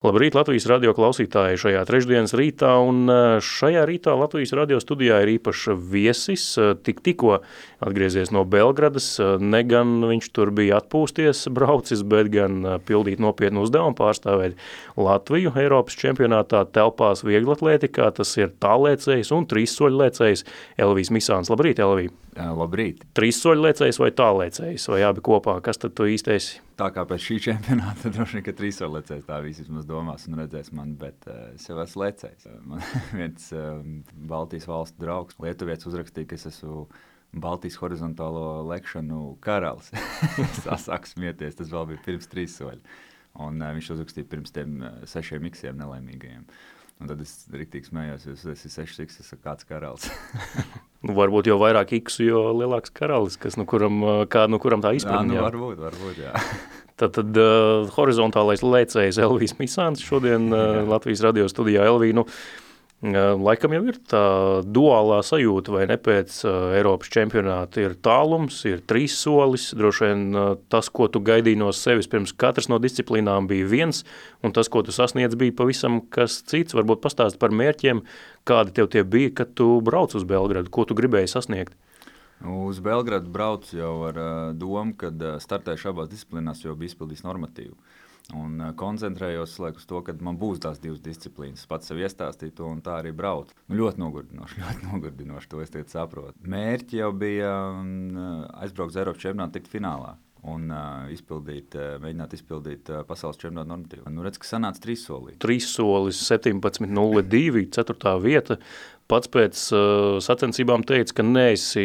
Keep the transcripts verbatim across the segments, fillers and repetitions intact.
Labrīt, Latvijas radio klausītāji šajā trešdienas rītā, un šajā rītā Latvijas radio studijā ir īpašs viesis, tik tikko atgriezies no Belgradas, ne gan viņš tur bija atpūsties braucis, bet gan pildīt nopietnu uzdevumu pārstāvēt Latviju Eiropas čempionātā telpās vieglatlētikā, tas ir tālēcējs un trīssoļlēcējs Elvijs Misāns. Labrīt, Elvij! Labrīt! Trīssoļlēcējs vai tālēcējs, vai abi kopā, kas tad tu īsti esi? Tā kā pēc šī čempionāta droši vien, ka trīssoļlēcējs tā visi vismaz domās un redzēs mani, bet uh, es jau esmu lēcējs. Man viens uh, Baltijas valstu draugs, lietuvietis uzrakstīja, ka es esmu Baltijas horizontālo lekšanu karalis. Es sāku smieties, tas vēl bija pirms trīssoļa. Un uh, viņš uzrakstīja pirms tiem uh, sešiem iksiem nelaimīgajiem. Un tad es riktīgi smējos, jo es esmu sešs iks, es esmu kāds karalis. Nu, varbūt jau vairāk iksu, jo lielāks karalis, kas, nu, kuram, kā, nu, kuram tā izpratne. Jā, nu, varbūt, varbūt, jā. Tad, tad uh, horizontālais lēcējs Elvijs Misāns šodien uh, Latvijas radio studijā. Elvij, nu, uh, laikam jau ir tā duālā sajūta, vai ne, pēc uh, Eiropas čempionāta ir tālums, ir trīs solis, droši vien uh, tas, ko tu gaidīji no sevis pirms katras no disciplīnām bija viens, un tas, ko tu sasniedz, bija pavisam kas cits. Varbūt pastāst par mērķiem, kādi tev tie bija, kad tu brauc uz Belgradu, ko tu gribēji sasniegt? Uz Belgradu braucu jau ar uh, domu, kad uh, startēšu abās disciplīnās, jo bija izpildījis normatīvu. Un uh, koncentrējos laik, uz to, ka man būs tās divas disciplīnas. Pats sev iestāstīju to un tā arī braucu. Nu, ļoti nogurdinoši, ļoti nogurdinoši, to es tagad saprotu. Mērķi jau bija um, aizbraukt uz Eiropas čempionātu, tikt finālā un uh, izpildīt, uh, mēģināt izpildīt uh, pasaules čempionātu normatīvu. Nu, redz, ka sanāca trīssolī. Trīssolis septiņpadsmit nulle divi, ceturtā vieta. Pats pēc uh, sacensībām teica, ka neesi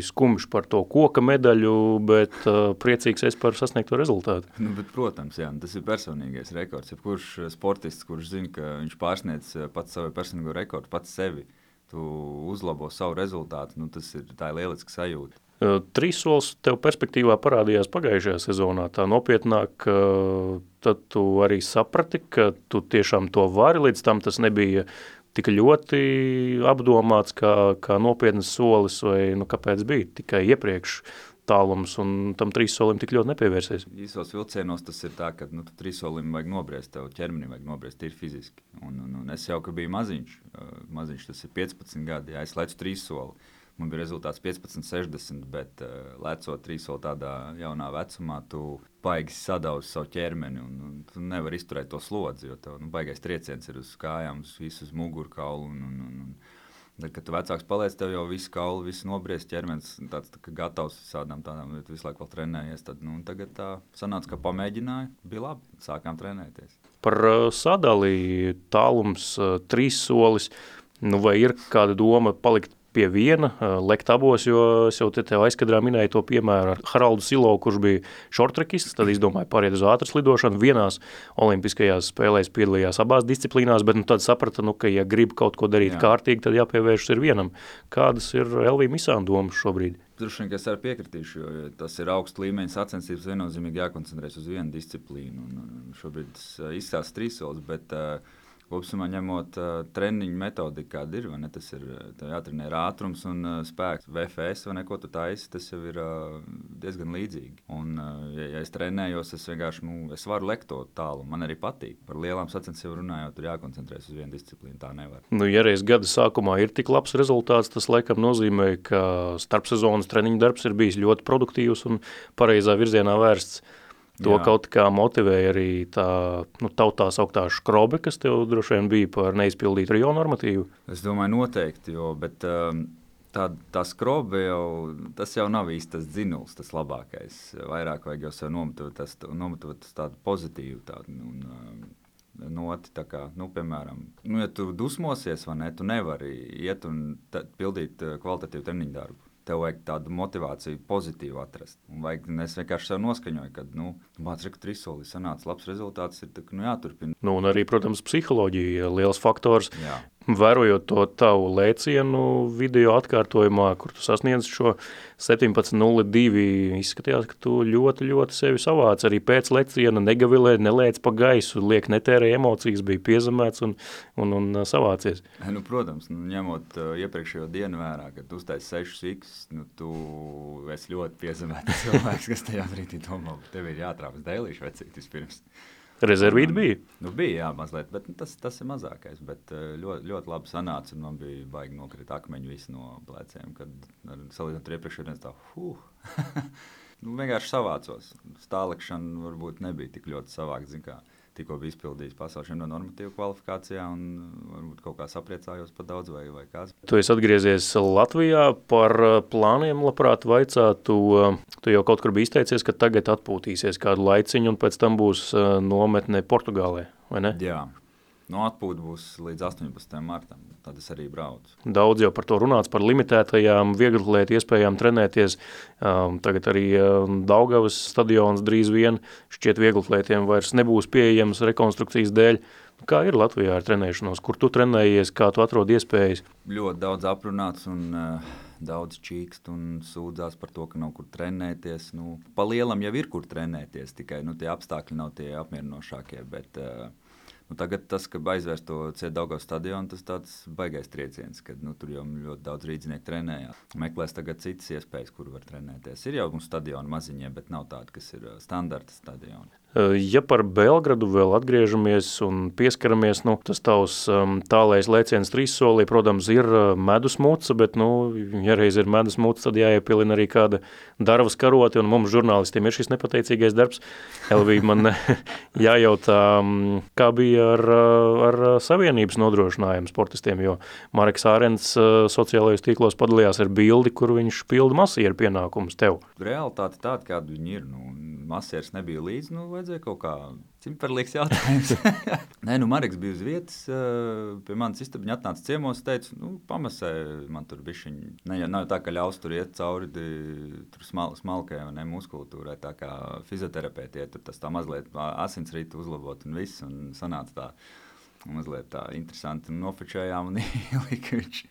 skumjš par to koka medaļu, bet uh, priecīgs esi par sasniegto rezultātu. Nu, bet, protams, jā, tas ir personīgais rekords. Ja kurš sportists, kurš zina, ka viņš pārsniedz pats savu personīgo rekordu, pats sevi, tu uzlabo savu rezultātu, nu, tas ir tā lieliska sajūta. Uh, Trīssolis tev perspektīvā parādījās pagājušajā sezonā. Tā nopietnāk, uh, tad tu arī saprati, ka tu tiešām to vari, līdz tam tas nebija tik ļoti apdomāts kā, kā nopietnas solis, vai nu, kāpēc bija tikai iepriekš tālums un tam trīssolim tik ļoti nepievērsies? Īsos vilcienos tas ir tā, ka nu, trīssolim vajag nobriest, tev ķermenim vajag nobriest, ir fiziski. Un, un, un es jau, ka biju maziņš, maziņš tas ir piecpadsmit gadi, jā, es lecu trīssoli. Man bija rezultāts piecpadsmit sešdesmit, bet uh, lecot trīssoli tādā jaunā vecumā, tu baigi sadauzi savu ķermeni un, un tu nevari izturēt to slodzi, jo tev nu, baigais trieciens ir uz kājām, uz visu uz mugurkaulu. Un, un, un, un, tad, kad tu vecāks paliec, tev jau visu kaulu, visu nobriest, ķermenis tāds tā, gatavs visādām tādām, tu visu laiku vēl trenējies. Tad, nu, tagad tā sanāca, ka pamēģināju, bija labi, sākām trenēties. Par uh, sadalī tālums uh, trīssolis, nu vai ir kāda doma palikt pie viena, lekt abos, jo es jau te tev aizkadrā minēju to piemēru ar Haraldu Silovu, kurš bija šortrekists, tad izdomāja pāriet uz ātras lidošanu. Vienās olimpiskajās spēlēs piedalījās abās disciplīnās, bet nu, tad saprata, nu, ka ja grib kaut ko darīt Jā. kārtīgi, tad jāpievēršas ir vienam. Kādas ir Elvija Misāna domas šobrīd? Droši vien, ka es arī piekritīšu, jo tas ir augsts līmeņa sacensības, viennozīmīgi jākoncentrēs uz vienu disciplīnu. Un šobrīd tas izstāsta trīssolis, bet uh, kopsumā ņemot uh, treniņu metodiku, kāda ir, vai ne, tas ir jātrenē ir ātrums un uh, spēks. V F S vai ne, ko tu taisi, tas jau ir uh, diezgan līdzīgi. Un, uh, ja, ja es trenējos, es vienkārši, nu, es varu lekt to tālu, man arī patīk. Par lielām sacensībām runājot, tur jākoncentrēs uz vienu disciplīnu, tā nevar. Nu, ja reiz gada sākumā ir tik labs rezultāts, tas laikam nozīmē, ka starpsezonas treniņu darbs ir bijis ļoti produktīvs un pareizā virzienā vērsts. To Jā. Kaut kā motivēja arī tā, nu, tautā sauktā škrobe, kas tev droši vien bija par neizpildītu Rio normatīvu? Es domāju noteikti, jo, bet um, tā, tā skrobe jau, tas jau nav īsti tas dzinuls, tas labākais. Vairāk vajag jau sev nomotivēt tādu pozitīvu tādu, un, um, noti, tā kā, nu, piemēram, nu, ja tu dusmosies, vai ne, tu nevari iet un t- pildīt kvalitatīvu treniņu darbu. Tev vajag tādu motivāciju pozitīvu atrast. Un vajag, es vienkārši sev noskaņoju, ka, nu, māc reku trīssolī sanāca labs rezultāts, ir tā, nu, jāturpina. Nu, un arī, protams, psiholoģija, liels faktors. Jā. Vērojot to tavu lēcienu video atkārtojumā, kur tu sasniedz šo septiņpadsmit nulle divi, izskatījās, ka tu ļoti, ļoti sevi savāc. Arī pēc lēciena negavilē, nelēc pa gaisu, liek netērē emocijas, bija piezemēts un, un, un savācies. Nu, protams, nu, ņemot uh, iepriekšējo dienu vērā, kad tu uztaisi sešus iks, nu, tu esi ļoti piezemēts cilvēks, kas tajā brīdī domā, tev ir jātrāpas dēlīšu vecīt vispirms. Rezervīti bija? Nu, bija, jā, mazliet, bet nu, tas, tas ir mazākais. Bet ļoti, ļoti labi sanāca, un man bija baigi nokrīt akmeņi visi no pleciem, kad salīdzinot ar iepriekšējiem dienas tā, huh. nu, vienkārši savācos. Stālikšana varbūt nebija tik ļoti savākt, zin kā. Tikko bija izpildījis pasaules čempiona normatīvu kvalifikācijā un varbūt kaut kā sapriecājos par daudz vai, vai kāds. Tu esi atgriezies Latvijā, par plāniem labprāt vaicātu. Tu jau kaut kur biji izteicies, ka tagad atpūtīsies kādu laiciņu un pēc tam būs nometne Portugālē, vai ne? Jā. No atpūta būs līdz astoņpadsmitajam martam, tad es arī braucu. Daudz jau par to runāts, par limitētajām vieglatlētu iespējām trenēties. Um, tagad arī um, Daugavas stadions drīz vien šķiet vieglatlētiem vairs nebūs pieejams rekonstrukcijas dēļ. Kā ir Latvijā ar trenēšanos? Kur tu trenējies, kā tu atrod iespējas? Ļoti daudz aprunāts un uh, daudz čīkst un sūdzās par to, ka nav kur trenēties. Nu, pa lielam jau ir kur trenēties, tikai nu, tie apstākļi nav tie apmierinošākie, bet... Uh, Nu, tagad tas, ka aizvērst to Ciet Daugavas stadionu, tas tāds baigais trieciens, kad nu, tur jau ļoti daudz rīdzinieku trenējās. Meklēs tagad citas iespējas, kur var trenēties. Ir jau mums stadioni maziņie, bet nav tādi, kas ir standarta stadioni. Ja par Belgradu vēl atgriežamies un pieskaramies, nu, tas tavs um, tālais lēciens trīssolī, protams, ir medus muca, bet, nu, ja reiz ir medus muca, tad jāiepilina arī kāda darvas karoti, un mums žurnālistiem ir šis nepateicīgais darbs. Elvija, man jājautā, kā bija ar, ar savienības nodrošinājumu sportistiem, jo Mareks Ārens sociālajos tīklos padalījās ar bildi, kur viņš pilda masieru pienākumus tev. Realitāte tāda, kāda viņi ir, nu, masieris nebija līdz, nu, vajadzēja kaut kā cimperlīgs jautājums. Nē, nu, Mareks bija uz vietas, pie manas istabiņa atnāca ciemos, teica, nu, pamasē man tur bišķiņi. Ne, ja nav tā, ka ļaus tur iet cauri tur smal, smalkai, ne, muskultūrai, tā kā fizioterapeiti iet, tur tas tā mazliet asinsrītu uzlabot un viss, un sanāca tā mazliet tā interesanti, un nofočējām un ielika viņš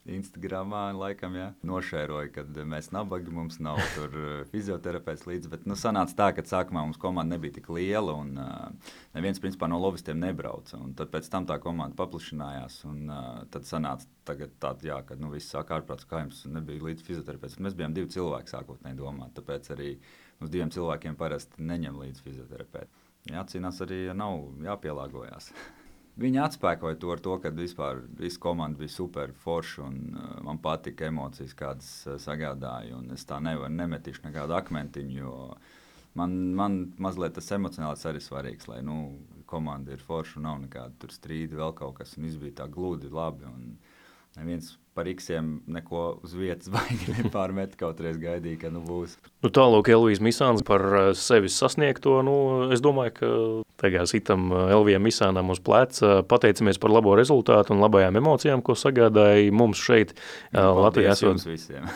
Instagramā, laikam, jā, nošēroja, kad mēs nabagi, mums nav tur fizioterapeits līdzi, bet, nu, sanāca tā, ka sākumā mums komanda nebija tik liela, un uh, neviens, principā, no lovistiem nebrauca, un tad pēc tam tā komanda paplašinājās, un uh, tad sanāca tagad tāda, jā, kad, nu, viss sāk ārprāts, kā jums nebija līdz fizioterapeits, bet mēs bijām divi cilvēki sākotnēji domāt, tāpēc arī mums diviem cilvēkiem parasti neņem līdz fizioterapeiti. Jācīnās arī, ja nav jāpielāgojās. Viņi atspēkoja to ar to, ka vispār visa komanda bija super forša un uh, man patika emocijas, kādas uh, sagādāja, un es tā nevaru nemetīšu nekādu akmentiņu, jo man, man mazliet tas emocionāls arī svarīgs, lai, nu, komanda ir forša un nav nekāda tur strīdi, vēl kaut kas, un viss bija tā gludi, labi, un neviens par iksiem neko uz vietas baigi nepārmet, kaut reiz gaidīja, ka nu būs. Nu tālūk, Elvijas Misāns par sevis sasniegto, nu es domāju, ka tagad itam Elvijam Misānam uz pleca, pateicamies par labo rezultātu un labajām emocijām, ko sagādāja mums šeit Latvijā. Paldies jums visiem.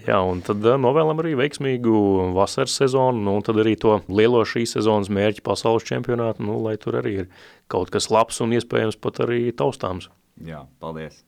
Jā, un tad novēlam arī veiksmīgu vasaras sezonu, nu, un tad arī to lielo šīs sezonas mērķi pasaules čempionātu, nu, lai tur arī ir kaut kas labs un iespējams pat arī taustāms. Jā, paldies.